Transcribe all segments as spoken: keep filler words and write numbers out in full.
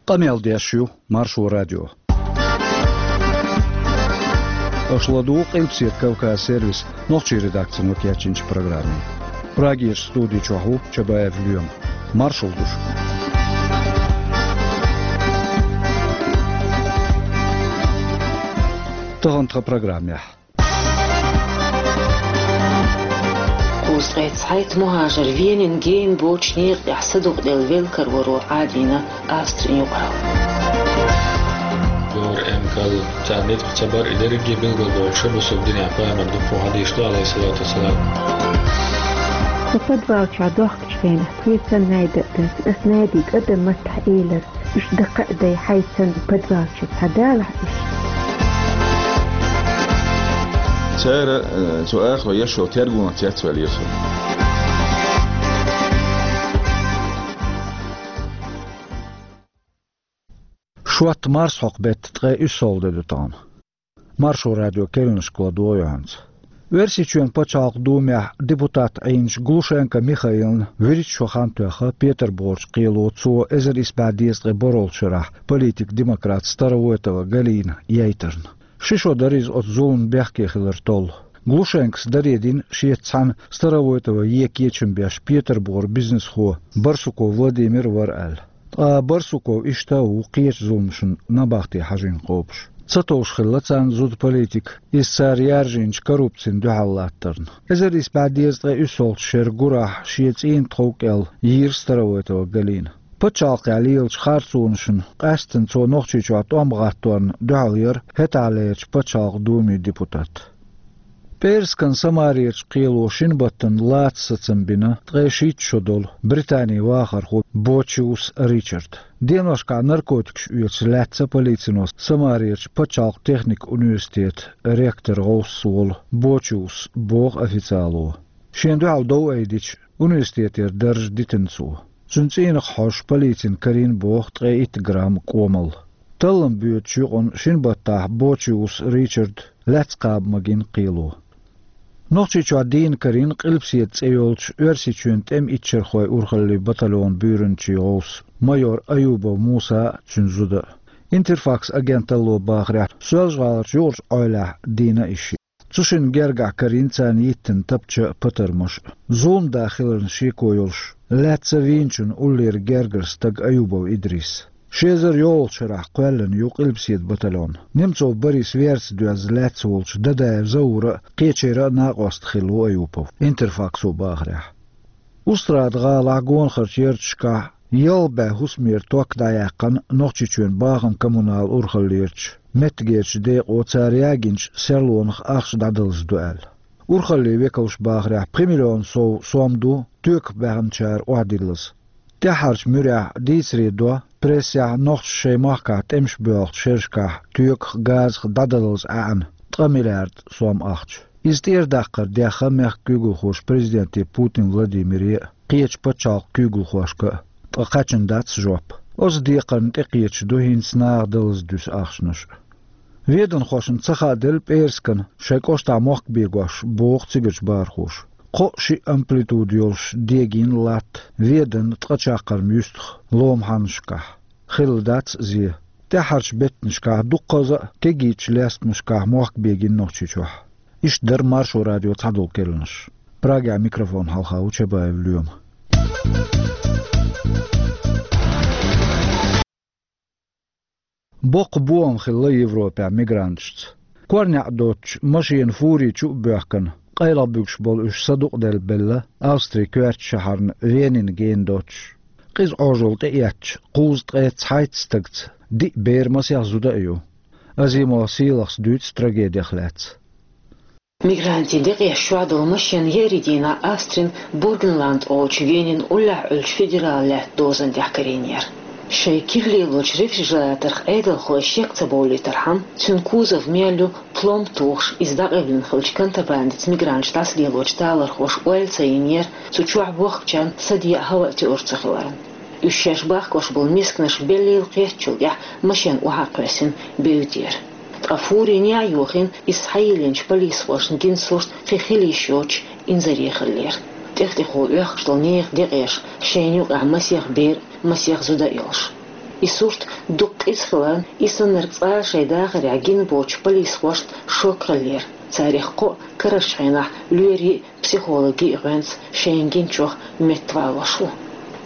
Къамел деш ю Маршо радио. Аша ладугӀу Къилбаседа Кавказ сервисан нохчийн редакцино кечйинчу программе. Прагерчу студи чохь ву Чабаев Лоьма. Маршалла ду шуьга. Тахана тхан программехь. Кхузткъе цхьайтта мухӀажар Венин гена боцучу некъа тӀехь садукъаделла велла кароро Ӏадийна Австрин юкъаралла. Гора эмкал царна ницкъ ца бар, и дерриге билгалдохуш, бусалба динехь пайхамар ду, кху хьадийш ду, алейхиссалату вассалам. Со подвал чохь дохкучу хенахь, тхоьца найда а дац, ас найдига адам маттахь элира. Уьш дакха а дай, хьайцан подвалчу цхьа далахь уьш. Цара, э, цу ахло ешо тергонца яцвелла ясо. Шотта марсхьокху беттан ткъе уьссалгӀа де ду тахана. Маршо радио керланашка ладогӀа юьхьанца. Оьрсийчоьнан пачхьалкхан думехь депутат Ӏийначу Глушенко Михаилна вуьрхӀитта шо хан тоьхна Петарбухарчу кхело цо эзар исс бӀе дезткъе бархӀолгӀачу шарахь политик-демократ Старовойтова Галина яйтарна. Ши шо дара иза оцу зуламна бехке хилар толлу. Глушенкос даре дина шеца цхьаьна Старовойтова ен кечам беш Петарбухарчу бизнесхо Барсуков Владимир вара аьлла. Ткъа Барсуков иштта а ву кхечу зуламашна набахте хьажийна кхобуш. Ца товш хилла царна зуда политика, иза цара яржийначу коррупцина дуьхьал латтарна. Эзар исс бӀе дезткъе уьссалгӀачу шеран гурахь шен цӀийнан тхов кӀел йийра Старовойтова Галина. Пачхьалкхехь лелачу харцонашна къаьсттина цо Нохчийчохь тӀом гӀатторна дуьхьал яра хӀетахьлерчу пачхьалкхан думин депутат. ПӀераскан Самарерчу кхело шина баттана лаца сацам бина ткъе шийтта шо долу Британин вахархо Бочиус Ричард. Деношкахь наркотикаш оьцуш лаьцна полицино Самарерчу пачхьалкхан техникан университетан ректор гӀовс волу Бочиус, боху официало. Шена дуьхьал дов айдича, университетера дарж дитина цо. Цуьнан цӀийнах хьожуш полицина карийна боху ткъе итт грамм кӀомал. Таллам боьдучу юкъана шина баттахь Бочиус Ричард лаьцна кхаба магийна кхело. Нохчийчохь дийна карийна Къилбаседа цӀе йолчу Оьрсийчоьнан тӀеман иччархойн урхаллин батальонан буьйранчин гӀовс майор Аюбов Муса а, цуьнан зуда а. Интерфакс агенталло бахарехь, Соьлжа-ГӀаларчу юкъарчу Ӏойлехь дийна и шиъ. Цу шинна гергахь карийна царна йиттина тапча а, патармаш а. Зулам да хиларна шеко йолуш, лаьцна вийначунна уллера гергара стаг Аюбов Идрис. Ши эзар йолалгӀачу шарахь кхоьллина ю Къилбаседа батальон. Немцов Борис верца доьзна лаьцна волчу Дадаев Заура а, кхечеран а накъост хилла ву Аюпов, Интерфаксо бахарехь. Устрада-ГӀалахь гонахарчу ярташкахь ялх бӀе хӀусамера ток дӀаяьккхина Нохчийчоьнан бахам-коммунал урхаллерчу меттигерчу декъо цара ягийначу серлонах ахча дӀадалаза ду аьлла. Урхаллин векалша бахарехь, пхи миллион сов сом ду тоьках баьхначара охьадиллаза. ТӀаьххьарчу муьрехь дийцаре до, прессехь нохчаша шайн махкахь тӀемаш боьлхучу шерашкахь тоьках, газах дӀадалаза Ӏаьана ткъа миллиард сом ахча. Иза тӀера даккхар дехна мехкан куьйгалхоша президенте Путин Владимире а, кхечу пачхьалкхан куьйгалхошка а, ткъа кхаьчна дац жоп. Оцу декхарна тӀекхеташ ду хӀинца наха далаза дуьсу ахчанаш а. Веданхошна ца хааделла пӀераскана шайн кӀоштахь мохк бегош, боху цигарчу бахархоша. Кхоъ-шиъ амплитуда йолуш дегийна латта Веданна ткъа чаккхарма юьстах ломан хьаннашкахь. Хилла дац зе. ТӀаьххьарчу беттанашкахь дуккхаза а кегийчу лестамашкахь мохк бегийна Нохчийчохь. Иштта дара Маршо радион цхьадолу керланаш. Прагехь микрофон хьалха ву Чабаев Лоьма. Боккха бохам хилла Европехь мигранташца. КорнехӀ доцучу машенан фури чу а боьхкина, къайлаха буьгуш болу уьш садукъаделла белла Австрин коьртачу шахьарна Венин гена доцуш. Къиза Ӏожалла тӀеэцначу кхузткъе цхьайтта стагца диъ бер, масех зуда а ю. Азимов Сийлахьс дуьйцу трагедих лаьцна. Мигрантийн декъеш чохь долу машен еарин дийнахь Австрин Бургенланд олучу Венин уллехь Ӏуьллучу федералан лаьттан дозан тӀехь карийнера. Шайн кирлелочу рефрижераторх Ӏедалхой шек ца бовлийтархьама, цуьнан кузов мел ю пломба тухуш, иза дӀакъевлина хиллачу контрабандица мигранташ дӀасалелочу талорхоша ойла ца йинера, цу чохь бохкучарна саде а, хӀаваъ а тоьур ца хиларна. Уьш шаьш бахкош болу мисканаш беллийла кхеттачул тӀаьхьа машен охьа а кхоьссина, бевдера. Ткъа фури неӀ йохийна, иза схьайиллинчу полисхошна гина сурт кхин хила йиш йоцуш инзаре хиллера. ТӀех-тӀехула оьхкуш долу нехан декъеш, шайна юкъахь масех бер а, масех зуда а йолуш. И сурт дукха къиза хиларна, и саннарг цкъа а шайн дахарехь гина боцучу полисхошна шок хиллера. Царах кхоъ карарчу хенахь лоьрийн а, психологийн а гӀоьнца шайна гиначух меттавалош ву.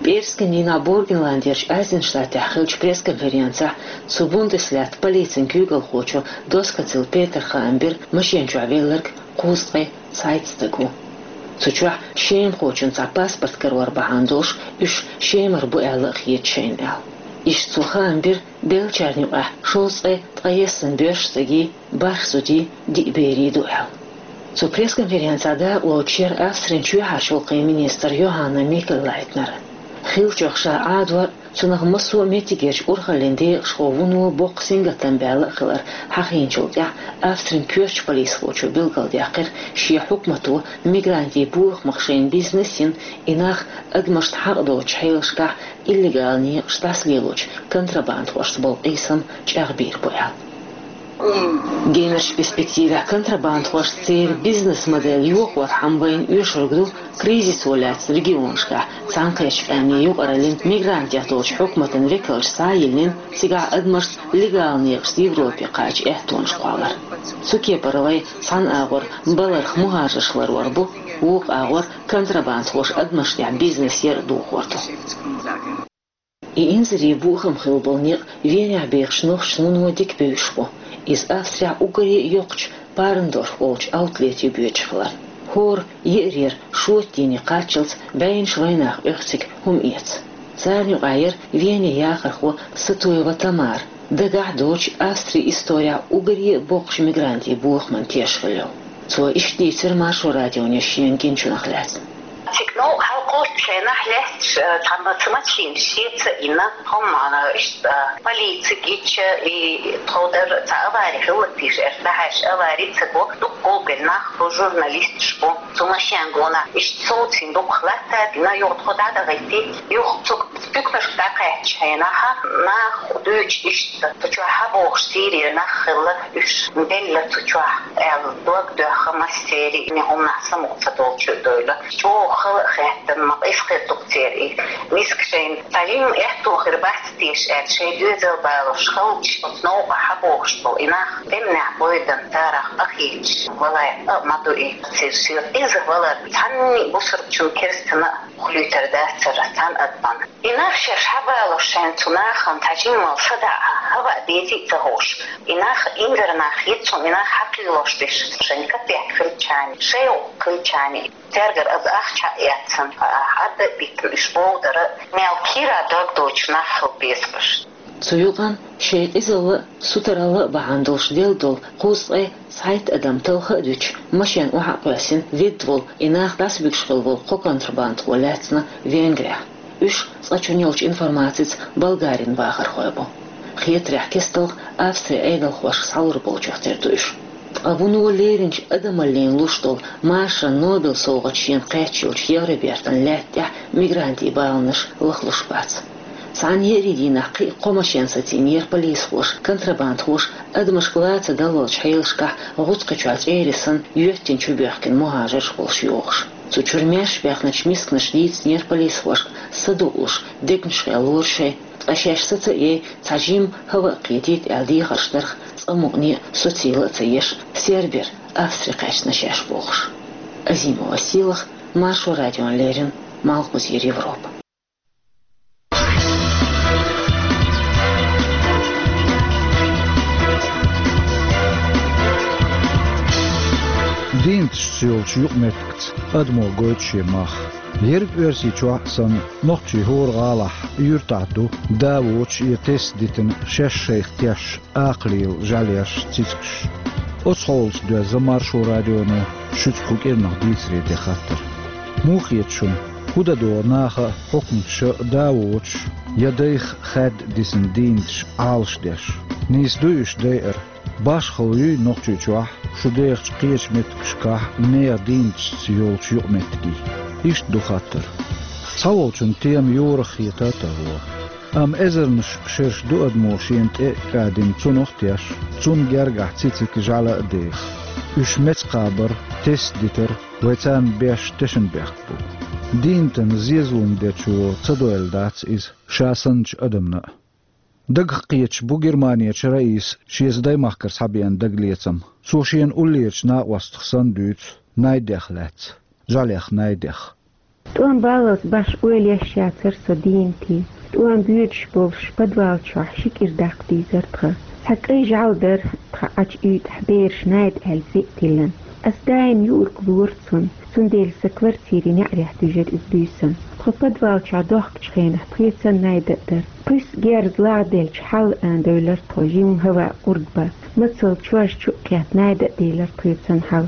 ПӀераскан дийнахь Бургенландерчу Айзенштадтехь хиллачу пресс-конференцехь цу Бундеслаьтта полицин куьйгалхочо Доскоцил Петара хаам бира машен чохь велларг кхузткъе цхьайтта стаг ву. Цу чохь шемахочун цхьа паспорт карор бахьана долуш уьш Шемара бу аьлла а хета шайна аьлла. Иштта цо хаам бира, беллачарна юкъахь шовзткъе ткъаесна боьрша стагий, бархӀ зудий, диъ берий ду аьлла. Цу пресс-конференцехь дакъалоцуш яра Австрин чоьхьарчу гӀуллакхийн министр Йоханна Микеллайтнер. Хиллачух ша Ӏадор а, цунах массо а меттигерчу урхаллин декъашхо вуно боккха сингаттам баьлла а хилар хьахийначул тӀаьхьа, Австрин коьртачу полисхочо билгалдаьккхира, шен хьукмато мигрантийн бохамах шайна бизнес йина, и нах адамашна хьакъ доцучу хьелашкахь иллегал некъаш дӀасалелочу контрабандхошца болу къийсам чӀагӀбийр бу аьлла. Генарчу перспективехь контрабандхошца церан бизнес-модель йохорхьама вайна оьшург ду кризисо лаьцна регионашкахь цхьаьнакхеттачу къаьмнийн юкъараллин, мигрантех долчу хьукматан векалш схьа а йиллина, цигахь адамашца легал некъашца Европе кхача аьттонаш кхоллар. Цу кепара вай цхьана агӀор баларх мухӀажарш ларор бу, вукху агӀор контрабандхоша адамашна тӀехь бизнес яр а дохор ду. И инзаре бохам хилла болу некъ Венехь бехачу нохчашна вуно дика бевзаш бу. Иза Австрехь уггаре а йоккхачу Парндорф олучу аутлете боьдуш хиларна. ХӀора еарера шоттийне кхаччалц бӀеннаш вайнах оьху цига хӀума эца. Царна юкъахь яра Вене яхархо Сатуева Тамара, дагахь а доцуш Австрин исторехь уггаре а боккхачу мигрантийн бохаман теш хилла йолу. Цо иштта дийцира Маршо радионе шена гиначунах лаьцна. Цига новкъа хьалакхочучу хенахь лаьтташ, э, цхьамма ца мачхийна шеца а йина, хӀумма, э, иштта, э, полици гича, и тховдар цхьа авари хилла теша, аьлла, дӀахьаьжча авари ца го, дукха гулбелла нах бу, журналисташ бу, цу машен гонах иштта совцийна дукха латта дина, юха тхо дӀадахийти, юха цу буькнашка дӀакхаьччу хенахь, нах дуьйцу иштта, цу чохь хьабохуш Сирера нах хилла, уьш белла цу чохь, аьлла, дог доьхна массеран, и хӀуманах самукъа ца долчу а девлла. ЧӀогӀа хала а хаьттина, ма къиза хир ду-кх церан и миска шайна. Цхьа жимма аьтто хир бац теша аьлла, шайн доьзал балош халча, оцу новкъахь хьабохуш болу и нах тӀемнехь бойдан царах къахийташ валар а ма ду и. Церан соьга къиза валар цхьанна а бусурбчун, керстана а хуьлуьйтур дацара цхьана адамна. И нах шаьш хьабалош шайна цу нахана цхьа жимма садаӀа, хӀаваъ дезий а ца хууш. И нах инзаре нах яц, и нах хьакхийлош дерш шайн капек хилча а, шайн гӀуллакх хилча а. Цаьргара аса ахча а эцна, хьарда а биттина, уьш бовдар а, мел кийра дог доцуш нах хила безаш. Цу юкъана шайн къизалла а, сутаралла а бахьана долуш делла долу кхузткъе цхьайтта адам талха а дуьтуш, машен охьа а кхоьссина, ведда волу, и нах дӀасабуьгуш хилла волу кхо контрабандхо лаьцна Венгрехь. Уьш, цкъачунна йолчу информацица, Болгарин бахархой бу. Хетарехь, кесталх Австрин Ӏедалхошка схьалур болчух тера ду уьш. Ткъа вуно леринчу адамаллина луш долу машаран Нобелан совгӀат шена кхаьчна йолчу Евробертан лаьтта тӀехь мигрантийн баланаш лахлуш бац. Цхьана еарин дийнахь кхин а кхо машен сацийнера полисхоша, контрабандхоша адамашка ла ца даллалчу хьелашкахь, гӀутакхи чохь чӀерий санна, йоьттина чубоьхкина мухӀажарш болуш йогӀуш. Цу чуьра маьрша баьхначу мисканаша дийцинера полисхошка, садуъуш, дегнаш хилла лора шайн, ткъа шаьш саца а яй, цхьа жимма хӀаваъ кхетийта аьлла дехарш дарх, цкъа мукъане а, социйла а ца еш, Сербера Австри кхаьчна шаьш бохуш. Азимова Сийлаха, Маршо радиона леррина, Малхбузера Европа. Дийнаташца йолчу юкъаметтигца адамо гойту шен мах. Ерриг Оьрсийчохь а санна, нохчийн хӀора гӀалахь, юьртахь ду да воцуш я тесна дитина шаьш шайх тешна акхаллин жӀаьлеш, цицигаш. Оцу хьолаца доьзна Маршо радионо шуьца кху кӀирнах дийцаре ден хаттар. Муха хета шуна, хӀун дан догӀу наха а, хьукматаша а да воцуш я дайх хаьдда дисина дийнаташ Ӏалашдеш? Нийса дуй уьш дайар? Башхалла юй Нохчийчохь шун дехачу кхечу меттигашкахь нехан дийнаташца йолчу юкъаметтигий? Иштта ду хаттар. Цхьаволчунна тема йорах хета а тарло. Амма эзарнаш шераш ду адамо шена тӀе а кӀадина цунах а тешна, цунна гергахь цициг, жӀаьла а деха. Уьш меца кхабар, тесна дитар вай царна беш тешнабехк бу. Дийнатан зезалун дечо ца дойла дац иза ша санначу адамна а. Дагах кхеташ бу Германерчу Раиса шеца даймахкара схьабеана дагалецам. Цо шена уллерчу накъостах санна дуьйцу Найдех лаьцна, жӀаьлех Найдех. ТӀом баллалц баш ойла еш яцара со дийнатий. ТӀом буьйцуш болуш подвал чохь ши кӀира даккха дийзара тхан. Цхьа кӀайн жӀаьла дара тхан Ӏачу уьйтӀахь, бераш Найда аьлла зен а тиллина. Ас даим юург лора цунна, цундела сан квартирин неӀарехь дуьйжира иза буьйсанна. Тхо подвал чохь дохкучу хенахь тхоьца Найда а дара. Кхуьссу герз лагӀделча хьал а девлира тхо, жимма хӀаваъ къурд бан. Мацалла чож чу а кхетта, Найда а делира тхоьца хьал.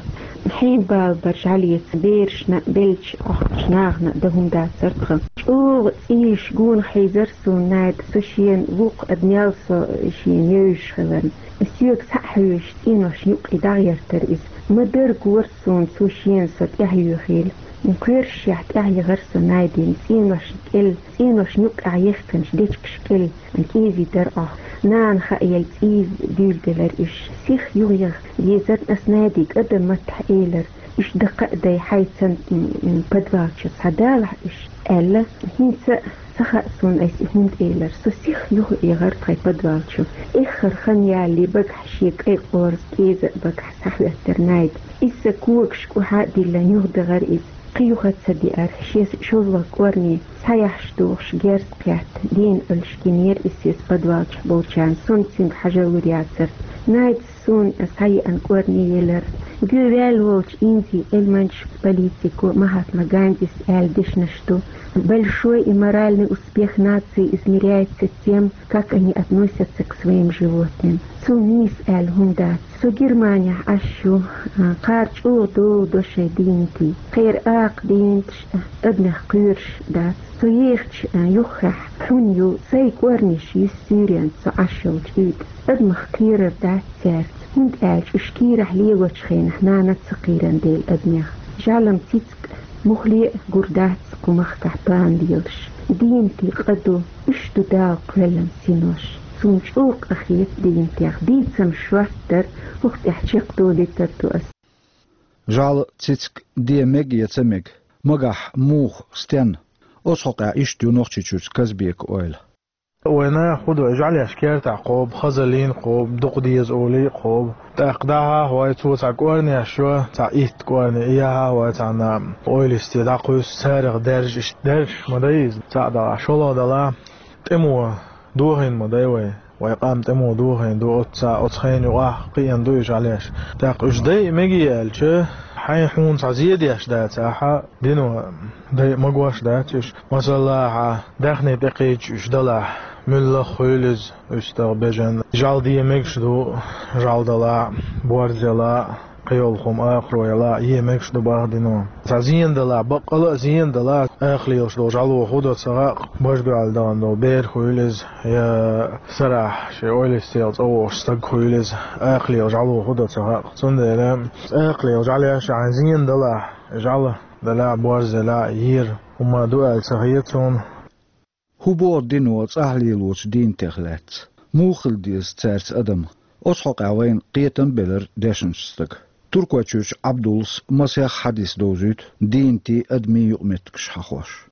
Хьенан бала бара жӀаьлеца, берашна а, беллачу Ӏохкучу нахана а дан хӀума дацара тхан. ЧӀогӀа цӀийш гонах хьийзара суна Найда, со шена вукху адамел со шена евзаш хиларна. Соьга схьа а хьоьжуш, цӀеношна юккъе дӀагӀертара иза. Ма-дарра гора суна цо шена со тӀаьхьа юьйхийла. Кхоьрушшехь тӀаьхьа яхара со Найдина, цӀеношна кӀел, цӀеношна юккъехь ехканаш дечигаш кӀел кӀезийтара Ӏохь. Нана хаа елла цӀийза дуьйладелира уьш. Сиха юхаяха дезара ас Найдига, адам маттахь элира: «Уьш даккха а дай, хьайца м, м, подвал чу схьадалахь уьш», — аьлла. ХӀинца а ца хаьа суна ас и хӀунда элира. Со сиха юхаяхара тхайн подвал чу. Эххар хан ялале багахь шен кӀайн къорза кӀеза а багахь схьахӀоьттира Найда. Иза сан когаш кӀухьа а диллина юхадахара иза. Кхин юха а ца деара, шен шозлагӀа кӀорни схьаяхьаш дохуш герз кхетта, дийна Ӏуьллуш гинера иза соьца подвал чохь болчарна, со-м цуьнга хьажа лур яцара. Найдас суна схьаеана кӀорни елира. Гуьваьлла волчу Индин Ӏилманчо, политико Махатма Гандис аьлла дешнаш ду: «Большой и моральный успех нации измеряется тем, как они относятся к своим животным». Цул нийса аьлла хӀума дац. Со Германехь Ӏаш ю, а, кхара чӀогӀа догӀу до шайн дийнатий. Кхера акха дийнаташ а, адамех кхоьруш дац. Со ехачу, а, юххехь хьун ю, сайн кӀорнеш юьсу суьйренца со Ӏаш йолчу уьйтӀа. Адамах кхерар дац цаьрца, хӀунда аьлча уьш кийрахь лелочу хенахь нана ца кхийран дела адамех. ЖӀаьла-м, цициг-м муххале а гур дац кху махкахь пана лелаш. Дийнатий къа ду, уьш ду Дала кхоьллина синош. Суна чӀогӀа къахета дийнатех, дийцам шорта дара, хӀокху тӀехь чекхдолуьйтур ду ас. ЖӀаьла, цициг де мега я ца мега? Магахь, муха, стенна? Оцу хьокъехь иштта ю Нохчийчуьрчу Казбекан ойла. Вайн наха хӀун ду, жӀаьлеш кертахь кхобу, хазаллин кхобу, дукха деза олий а кхобу. ТӀаккха дӀахьа а хьой, цо цхьа кӀорнеш йо, цхьа итт кӀорни, яхьа а хьой, цхьана ойла йисте дӀакхуьйсу, царах даьржа иштта даьржаш ма дай иза, цхьаъ далахь, шолгӀа далахь, тӀамо дохийна ма дай вай. Вай къам тӀамо дохийна ду, оцу, оцу хенан юкъахь кхиъна ду и жӀаьлеш. ТӀаккха уьш дайа мегий аьлча, хьайн хьуна цхьа зе деш дацахь, дино дайа магош дац уьш. Масала, хьан даьхни тӀекхийдаш уьш далахь, муьлхха хуьлу иза, уьстагӀ, бежан. ЖӀаьла де мегаш ду, жӀаьла далахь, борз ялахь, кхин йолу хӀума, акхаро ялахь, е мегаш ду бах дино. Цхьа зена далахь, баккъала а зена далахь, акха лелаш долу жӀаьло хӀун до ца хаьа, бажа дуьхьал дахана долу бер хуьлу иза, я сарахь шен ойла йисте цӀа вогӀуш стаг хуьлу иза, акха лела жӀаьло хӀун до ца хаьа. Цундела акха лела жӀаьлеш, хьайн зена далахь, жӀаьла далахь, борз ялахь, ера хӀума ду аьлла ца хета суна. ХӀун боху дино цӀахь лелочу дийнатех лаьцна? Муха хила деза цаьрца адам? Оцу хьокъехь вайна кхетам а белира дешначу стага. Туркойчуьрчу Ӏабдуллас масех хьадис довзуьйту дийнатийн, адамийн юкъаметтигаш хьахош.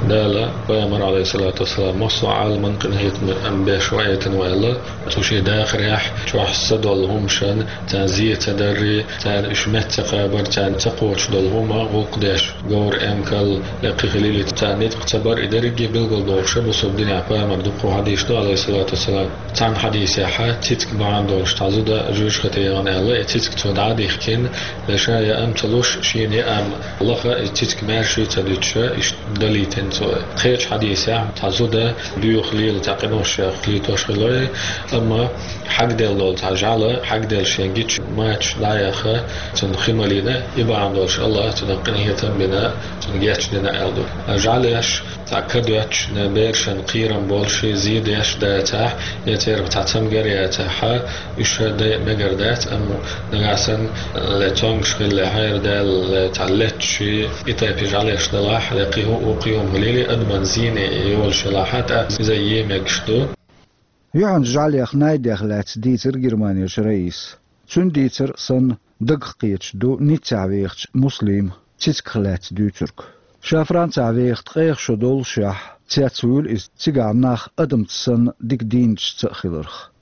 Дала, пайхамар, Ӏалайхиссалату вассалам, массо а Ӏаламан къинхетаме ам беш ваийтина ваьлла, цу шен дахарехь чохь са долу хӀумашан, царна зе ца дарри, царна уьш метта ца кхабар, царна ца кхочуш долу хӀума гӀуллакх деш, говр, эмкал, лекхи хилийли, царна ницкъ ца бар, и дерриге билгалдохуша бусалба динехь пайхамар дуккха хьадийш ду, Ӏалайхиссалату вассалам. Цхьана хьадийсехьа цициг бахьана долуш цхьа зуда жоьжахате яхана аьлла, и цициг цо дӀа а дихкина, ша яа ам ца луш, шена яа ам лаха, и цициг маьрша ца дуьтуша, иштта далийтина цо. Кхечу хьадийсехь цхьа зуда боьха лела цхьа къиношех летош хилла, амма хьагделла долу цхьа жӀаьла, хьагделла шен гича мачаш дӀа а яьхна, цунна хи малийна, и бахьана долуш Аллаха цунах къинхетам а бина, цунна гечдина аьлла ду. ЖӀаьлеш цхьа ка доьттуш, берашна кхерам болуш, зе деш дацахь, я церах цхьа цамгар яцахь, уьш дайа мегар дац, амма нагахь санна, ле цомгуш хилла, хьайра даьлла, ле цхьа летташ, и тайпа жӀаьлеш далахь, ле кхин хӀу-, кхин хӀума хилийла, адаман зене йолуш елахь, тӀаккха иза е мегаш ду. Юьхьанца жӀаьлех Найдех лаьцна дийцира Германерчу Раисас. Цуьнан дийцар санна, дагах кхеташ ду Ниццехь вехачу Муслима цицигах лаьцна дуьйцург. Ша Францехь веха ткъех шо доллушехь, цецвуьйлу иза, цигахь нах адамца санна дика дийначуьнца а хиларх.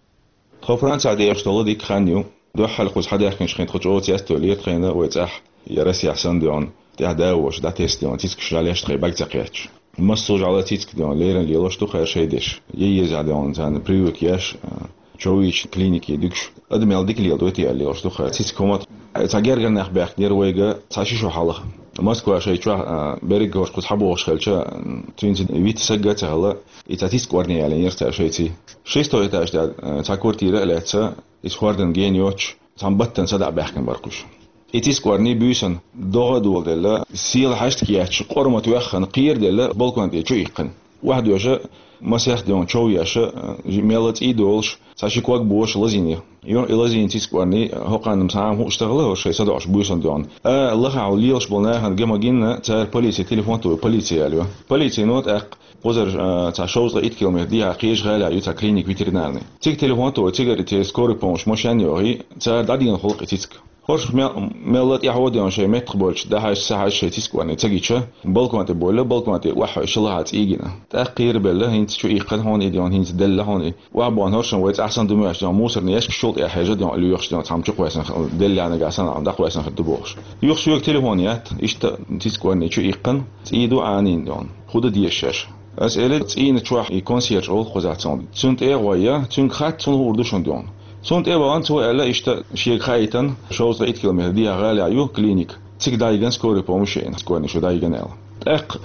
Тхо Францехь дехаш долу дика хан ю. Дуьххьал кхуза хьадаьхкинчу хенахь тхо чӀогӀа цецдевлира тхайна вай цӀахь, я Россехь санна дехна, тӀаьхьа да а воцуш, дӀатесна дехна, цицкаш жӀаьлеш тхайн бага ца кхетташ. Массо а жӀаьла цицка дехна леррина лелош ду хӀара шайн деш. Еза дехна царна прививка еш, а, чов йича клинике дуьгуш. Адам мел дика леладой те аьлла лелош ду хӀара цицка хӀума. Цхьа гергара нах баьхкинера вайга цхьа ши шо хьалха. Москва шайн чохь, а, берриг а хӀорш кхуза хьабогӀуш хилча, м, цуьнца вита саг а ца хилла, и цхьа цицка орне ялийнера цара шайций. Шестой этаж тӀехь, а, цхьа квартира а лаьцна, иза хӀордан гена йоцуш, цхьана баттана садаӀа баьхкина бара кхуьш. И цицка орне буьйсанна догӀа а доладелла, села хьаштка етташ, къорма тоьхна, кхераделла, балкон тӀе чу иккхина. Охьадоьжна, масех дехна чов еш, мелла цӀий долуш, цхьа ши ког бохуш лазийна. Юха и лазийна цицка орне, хӀокхарна-м цхьа а хӀума хууш ца хилла, хӀорш шайн садоӀуш буьйсанна дехна. А, лахахь лелаш болу нахана ган ма гина, цара полице телефон тухий, полице аьлла ю. Полицино тӀаккха кхузара, а, цхьа шовзткъе итт километр дехьа кхечу гӀалахь ю цхьа клиника ветеринарный. Цига телефон тухий, цигара и скорая помощь машен а йохий, цара дӀадийна хуьлу-кх и цицка. ХӀорш мел-, мелла тӀаьхьо дехна шайн меттах болчу дӀахьаьжча, ца хьаьжча шайн цицка орне ца гича, балкон тӀе бовлу, балкон тӀе охьахевшина лахахь цӀий гина. ТӀаккха кхерабелла, хӀинца чу иккхина хьуна и дехна, хӀинца делла хьуна и. Охьабахана хӀорш-м вай цӀахь санна ду моьттуш дехна, мусорный ящик чул тӀе хьежа дехна лоьхуш дехна, цхьамма чу кхоьссина, делла яьннарг санна, дӀакхоьссина хир ду бохуш. Юха соьга телефон етта, иштта цицка орне чу иккхина, цӀий ду Ӏанийна дехна. ХӀун дан деза шаьш? Ас элира, цӀийнан чохь и консьерж олу кхузахь цунна. Цунна тӀе а гӀой, цуьнга хаьттича, хӀун хуур ду шуна дехна. Цунна тӀе а вахана, цо аьлла, иштта шега хаийтина, шовзткъе итт километр дехьа гӀалахь ю клиника. Цига дӀайигна скорая помощь а йина, цицка орне шу дӀайигна аьлла. ТӀаккха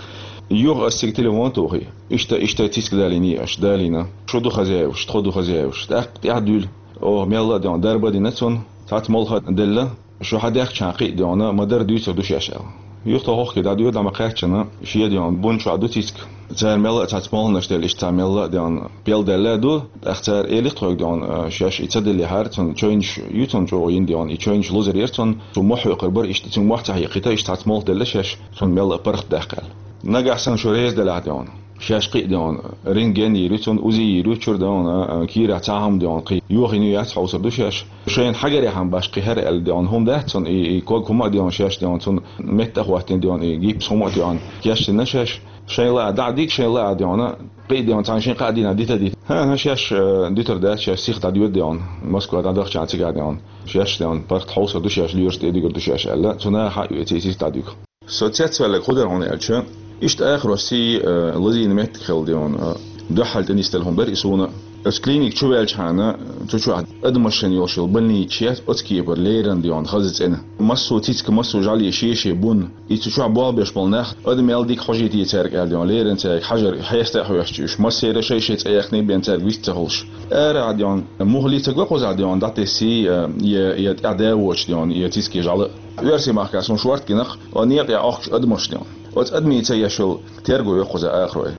юха ас цига телефон тухий. Иштта, иштта цицка далийний аша, далийна. Шу ду хозяеваш, тхо ду хозяеваш. ТӀаккха тӀаьхьа дуьйла. Оха мелла а дехна дарба а дина цунна, цхьацца молха а делла, шу хьадаьхкича кхин а дехна, ма-дарра дуьйцур ду шаьш аьлла. Юха тхо хӀокхуьнга дӀадоьду, дӀа ма-кхаьччина, шен дехна бун чохь ду цицка. Цара мелла а цхьацца молханаш делла, иштта цхьа мелла а дехна пел даьлла а ду, тӀаккха цара элира тхоьга дехна, а, шаьш и ца деллехьара, цунна чойнаш ю, цунна чӀогӀа йина дехна, и чойнаш лазар яра цунна, цу мохь хьоькхур бара, иштта цуьнга мохь ца хьекхийта, иштта цхьацца молха делла шаьш, цунна мелла а паргӀат даккха аьлла. Нагахь санна шу реза делахь дехна. Шаьш кхин а дехна, рентген йийр ю цунна, УЗИ йийр ю, чуьра дехна, а, кийрахь цхьа хӀума дехна, кхин йохийна ю, яц хьовсур ду шаьш. Шайна хьагарехь-м башха кхин хӀара аьлла дехна хӀума дац цунна, и, и ког хӀума а дехна шаьш дехна, цунна меттах а хӀоттийна дехна, и гипс хӀума а дехна, кечдина шаьш. Шайн лаа дӀа а диг, шайн лаа дехна, кхин а дехна, цхьана шайн кхаа дийнахь дита а дита. ХӀан-хӀа, шаьш, э, дуьтур дац, шаьш сиха дӀадоьду дехна, Москва дӀадахча цигахь дехна. Шаьш дехна, паргӀат хьовсур ду шаьш, лоьраш тӀе а дуьгур ду шаьш аьлла, цу наха хьаоьций сиха дӀадуьгу. Со цецваьлларг хӀун дара хьуна аьлча, иштта акхаросий, э, лазийна меттиг хилла дехна, э, дуьххьал тӀе нисделла хӀума бара и суна. Оцу клиника чу ваьлчахьана, цу чохь адамашна йолуш йолу больничаш яц, оцу кепара леррина дехна хаза цӀена. Массо а цицка, массо а жӀаьле шен-шен бун. И цу чохь болх беш болу нах, адам мел дика хьожийта цаьрга аьлла дехна, леррина цаьрга хьажар, хьеста а хьоьстуш уьш, массеран а шай-шай цӀе яьккхина бен цаьрга вист ца хуьлуш. Ара а дехна, муххале ца го кхузахь дехна, дӀатессий, э, я, я тӀаьхьа да а воцуш дехна, я цицке жӀаьла. Оьрсийн махкахь суна шорта гина-кх, о, некъа тӀехь Ӏохкуш адамаш дехна. Оцу адамийн ца еш йолу терго ю кхуза акхарой.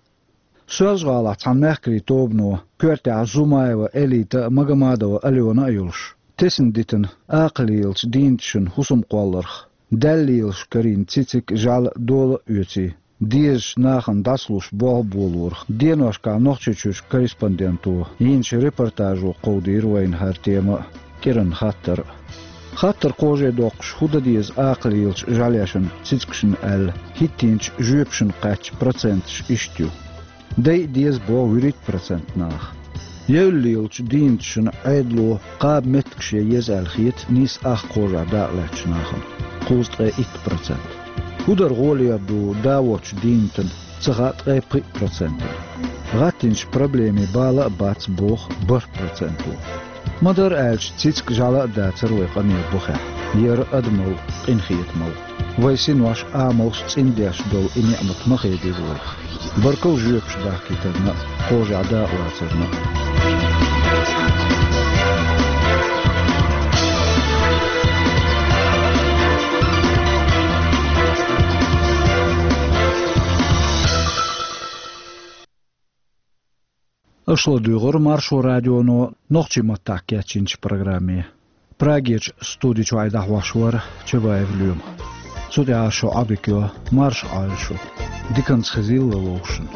Соьлжа-ГӀалахь цхьана мехкарийн тобано, коьртехь Зумаева Элита а, Магомадова Алена а йолуш, тесна дитина акха лелачу дийначун хӀусам кхолларх, даьлла лелаш карийна цициг, жӀаьла дола а оьций, дезачу нахана дӀасалуш болх болорах деношкахь Нохчийчуьрчу корреспонденто йинчу репортажо кховдийра вайна хӀара тема а, кӀиранан хаттар а. Хаттар кхаже доккхуш, хӀун дан деза акха лелачу жӀаьлешна, цицигашна аьлла, хӀиттийначу жоьпашна кхаьчна проценташ иштта ю. Дайа деза боху вуьрхӀитта процент наха. Евлла лелачу дийначун Ӏедало кхаба меттигаш ян еза аьлла хета нийса ах кхажахь дакъа лаьттачу нахана, кхузткъе итт процент. ХӀун дар гӀолера ду да воцчу дийнатан, ца хаьа ткъе пхиъ процентана. ГӀаттийначу проблемийн бала а бац боху бархӀ проценто. Ма-дарра аьлча, цициг, жӀаьла а дацара вай къамелан бухехь, яра адамалла, къинхетамалла. Вайн синош, амалш цӀиндеш долу и неӀмат ма хедийра вайх. Баркалла жоьпаш дахкийтарна а, кхажахь дакъа лацарна а. Аша ладуьйгӀира Маршо радионо нохчийн маттахь кечйинчу программе. Прагерчу студи чуьра дӀахьош вара Чабаев Лоьма. Цу тӀехь шун Ӏодика йо, марша Ӏойла шу. Диканца хезийла вовшашна.